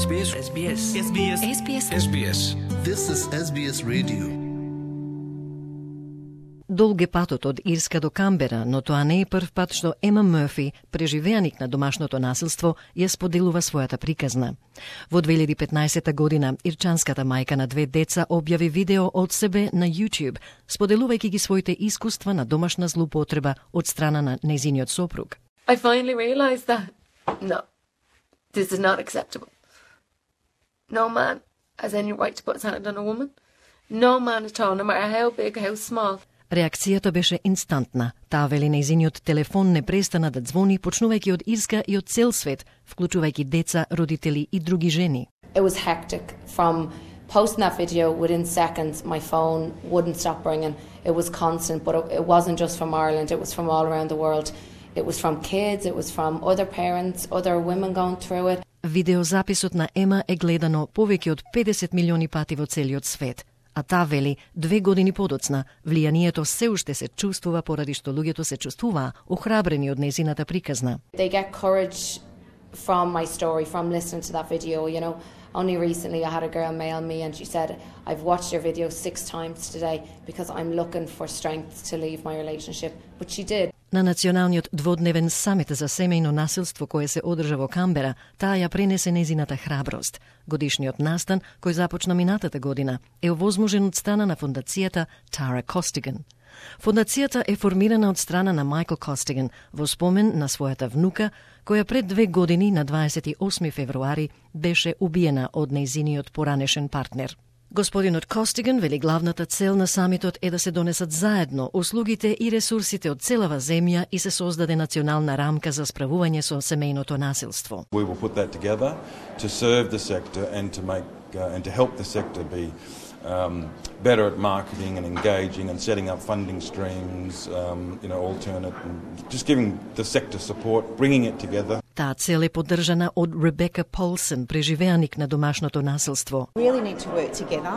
SBS. SBS. SBS. SBS. SBS. This is SBS Radio. Долг е патот од Ирска до Камбера, но тоа не е прв пат што Ема Мърфи, преживеаник на домашното насилство, ја споделува својата приказна. Во 2015 година, ирчанската мајка на 2 деца објави видео од себе на YouTube, споделувајќи ги своите искуства на домашна злоупотреба од страна на нејзиниот сопруг. I finally realized that, no, this is not acceptable. No man has any right to put his hand on a woman. No man at all, no matter how big, how small. Реакцијата беше инстантна. Таа вели нејзиниот телефон не престана да ѕвони, почнувајќи од Ирска и од цел свет, вклучувајќи деца, родители и други жени. It was hectic. From posting that video, within seconds, my phone wouldn't stop ringing. It was constant, but it wasn't just from Ireland, it was from all around the world. It was from kids, it was from other parents, other women going through it. Видеозаписот на Ема е гледано повеќе од 50 милиони пати во целиот свет. А таа вели, 2 години подоцна, влијанието се уште се чувствува поради што луѓето се чувствуваа охрабрени од нејзината приказна. They get courage from my story, from listening to that video, you know. Only recently I had a girl mail me and she said, I've watched your video 6 times today because I'm looking for strength to leave my relationship. But she did. На националниот дводневен самит за семејно насилство кој се одржа во Камбера, таа ја пренесе нејзината храброст. Годишниот настан, кој започна минатата година, е овозможен од страна на фондацијата Tara Costigan. Фондацијата е формирана од страна на Майкл Костиган во спомен на својата внука, која пред 2 години на 28 февруари беше убиена од нејзиниот поранешен партнер. Господинот Костиган вели главната цел на самитот е да се донесат заедно услугите и ресурсите од целава земја и се создаде национална рамка за справување со семејното насилство. We will put that together to serve the sector and to make and to help the sector be better at marketing and engaging and setting up funding streams, alternate and just giving the sector support, bringing it together. Таа цел е поддржана од Ребека Полсен, преживеаник на домашното насилство. Really need to work together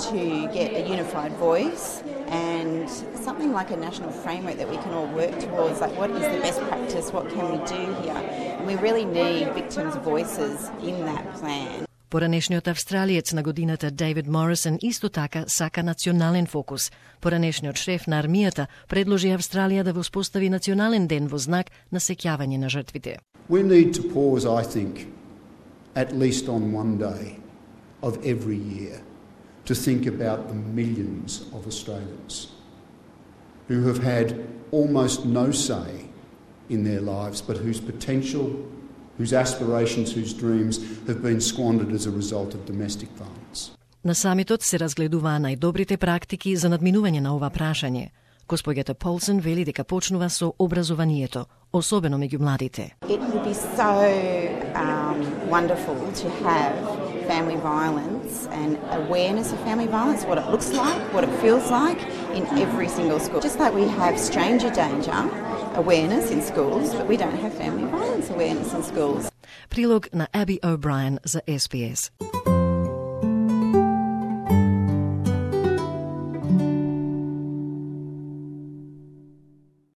to get a unified voice and something like a national framework that we can all work towards, like what is the best practice, what can we do here? And we really need victims' voices in that plan. Поранешниот австралиец на годината Дейвид Морисон исто така сака национален фокус. Поранешниот шеф на армијата предложи Австралија да воспостави национален ден во знак на сеќавање на жртвите. We need to pause, I think, at least on one day of every year to think about the millions of Australians who have had almost no say in their lives, but whose potential, whose aspirations, whose dreams have been squandered as a result of domestic violence. На самитот се разгледуваа најдобрите практики за надминување на ова прашање. Госпоѓата Полсен вели дека почнува со образованието, особено меѓу младите. It would be so wonderful to have family violence and awareness of family violence, what it looks like, what it feels like in every single school. Just like we have stranger danger awareness in schools, but we don't have family violence awareness in schools. Прилог на Аби О'Брајен за SBS.